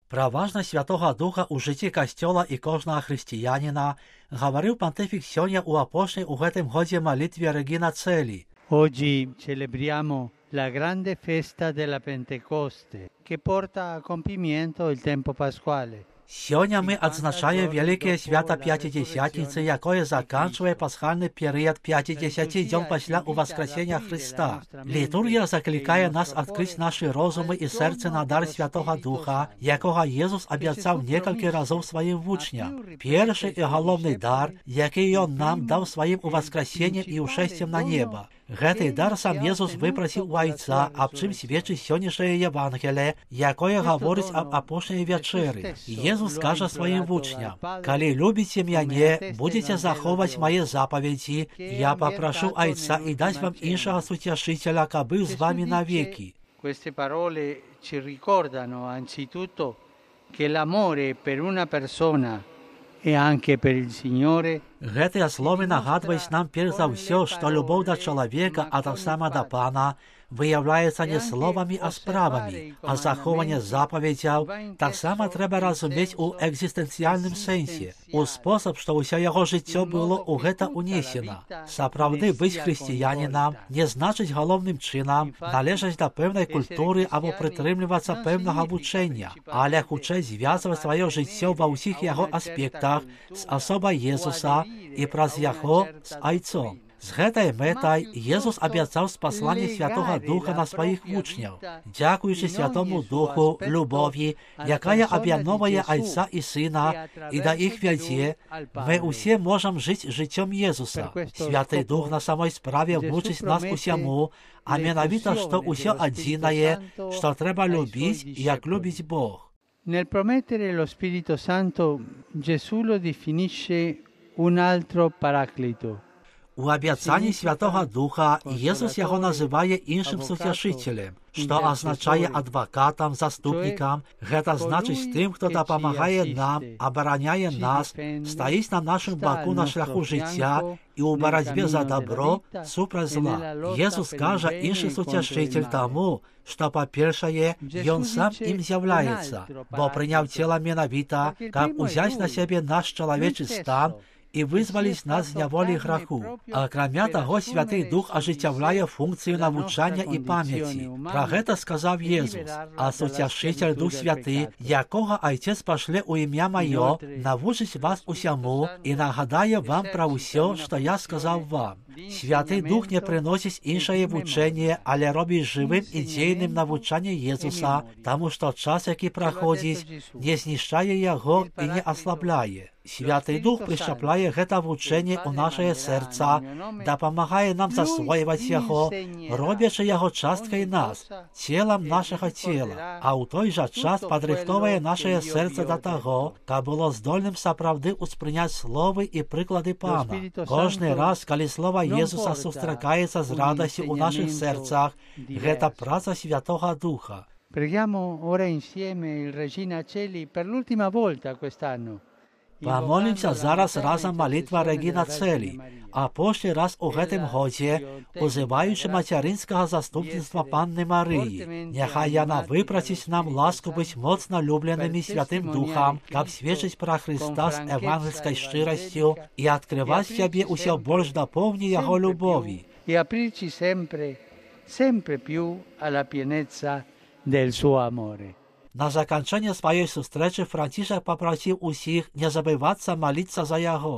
Про важность Святого Духа у житті Костьола і кожного християнина говорив понтифік сьогодні у апошній у гэтым годзе молитві Regina Coeli. Oggi celebriamo la grande festa della Pentecoste che porta a compimento il tempo pasquale. Сьогодні ми відзначаємо велике свято П'ятидесятниці, якое заканчує пасхальний період 50 днів після Воскресення Христа. Літургія закликає нас відкрити наші розуми і серце на дар Святого Духа, якого Єсус обіцяв кілька разів своїм учням. Перший і головний дар, який Він нам дав своїм Воскресенням і ушестям на небо. Гэтый дар сам Єсус випросив у Отця, об чим свідчить сьогоднішнє Євангеліє, якое говорить об апошній вечері. Єсус каже своїм учням: «Коли любите мене, будете заховувати мої заповіді, я попрошу Отця і дасть вам іншого сутішителя, аби з вами навіки». Queste parole ci ricordano anzitutto che l'amore per una persona e anche per il Signore. Гэтыя словы нагадваюць нам перш за ўсё, што любоў да чалавека, а таксама да Пана, выяўляецца не словамі, а справамі, а захоўванне запаведзяў таксама трэба разумець у экзістэнцыяльным сэнсе, у спосаб, што ўсё яго жыццё было ў гэта унесена. Сапраўды быць хрысціянінам не значыць галоўным чынам належаць да пэўнай культуры або прытрымлівацца пэўнага вучэння, але хутчэй звязваць сваё жыццё ва ўсіх яго аспектах з асобай Езуса і праз яго з Айцом. З гэтай мэтай Єсус абяцаў спасланне Святога Духа на сваіх вучняў. Дзякуючы Святому Духу, любові, якая аб'ядноўвае Айца і Сына і да іх вядзе, мы ўсе можам жыць жыццём Єсуса. Святы Дух на самой справе вучыць нас усяму, а менавіта, што ўсё адзінае, што трэба любіць, як любіць Бог. Nel promettere lo Spirito Santo, Gesù lo definisce un altro paraclito. У абяцанні Святого Духа Єсус яго называе іншым суцяшителем, што азначае адвакатам, заступнікам. Гэта значыць тым, хто дапамагае нам, абараняе нас, стаіць на нашым баку на шляху жыцця і ў барацьбе за добро супраць зла. Єсус кажа іншы суцяшитель таму, што, па-першае, Ён сам ім з'яўляецца, бо прыняў цела менавіта, каб узяць на сябе наш чалавечы стан і вызваліць нас з няволі граху. Акрамя таго, Святы Дух ажыццяўляе функцыю навучання і памяці. Пра гэта сказаў Єсус: «А суцяшитель Дух Святы, якога Айцец пашле ў імя маё, навучыць вас усяму і нагадае вам пра ўсё, што я сказаў вам». Святы Дух не прыносіць іншае вучэнне, але робіць жывым і дзейным навучанне Єсуса, таму што час, які праходзіць, не знішчае яго і не аслабляе. Святы Дух прышчапляе гэта вучэнне ў нашае сэрца, дапамагае нам засвойваць яго, робячы яго часткай нас, целам нашага цела, а ў той жа час падрыхтоўвае нашае сэрца да таго, каб было здольным сапраўды ўспрыняць словы і прыклады Пана. Кожны раз, калі слова Єсуса сустракаецца з радасцю ў нашых сэрцах, гэта праца Святого Духа. Preghiamo ora insieme il Regina Coeli per l'ultima volta quest'anno. Памолімся зараз разам малітва Regina Coeli, а апошні раз у гэтым годзе, узываючы мацярынскага заступніцтва Панны Марыі. Няхай яна выпраціць нам ласку быць моцна любленымі Святым Духам, каб сведчыць пра Хрыста з евангельскай шчырасцю і адкрываць сябе ўсё больш да поўні яго любові. І апrirci sempre più alla pienezza del suo amore. На заканчэнне сваёй сустрэчы Францішак папрасіў усіх не забывацца маліцца за яго.